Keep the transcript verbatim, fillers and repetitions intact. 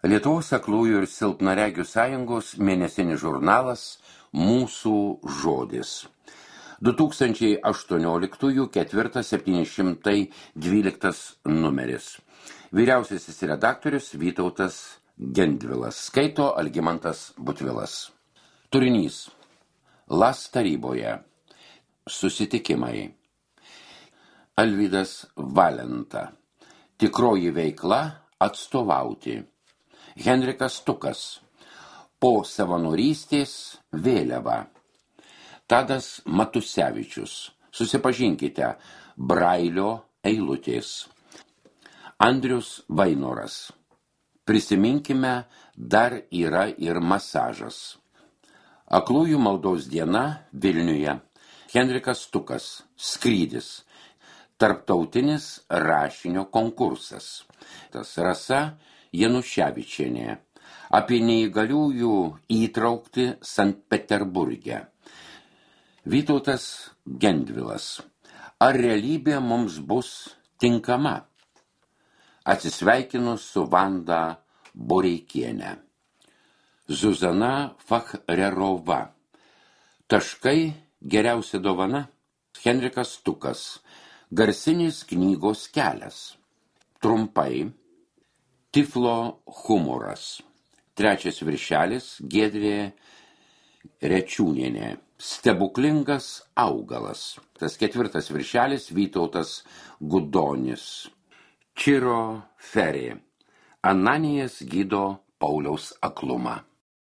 Lietuvos aklųjų ir silpnaregių sąjungos mėnesinis žurnalas Mūsų žodis. du tūkstančiai aštuonioliktųjų ketvirtas septyni šimtai dvyliktas numeris. Vyriausiasis redaktorius Vytautas Gendvilas. Skaito Algimantas Butvilas. Turinys. Las taryboje. Susitikimai. Alvydas Valenta. Tikroji veikla atstovauti. Henrikas Stukas. Po savanorystės vėliava. Tadas Matusevičius. Susipažinkite. Brailio eilutės. Andrius Vainoras. Prisiminkime, dar yra ir masažas. Aklųjų maldos diena Vilniuje. Henrikas Stukas. Skrydis. Tarptautinis rašinio konkursas. Tas Rasa Januševičienė. Apie neįgaliųjų įtraukti Sankt Peterburge. Vytautas Gendvilas. Ar realybė mums bus tinkama? Atsisveikinu su Vanda Boreikiene. Zuzana Fachrerova. Taškai geriausia dovana. Henrikas Stukas. Garsinis knygos kelias. Trumpai. Tiflo humoras. Trečias viršelis Giedrė Rečiūnienė. Stebuklingas augalas. Tas ketvirtas viršelis Vytautas Gudonis. Čiro Ferė. Ananijas gydo Pauliaus aklumą.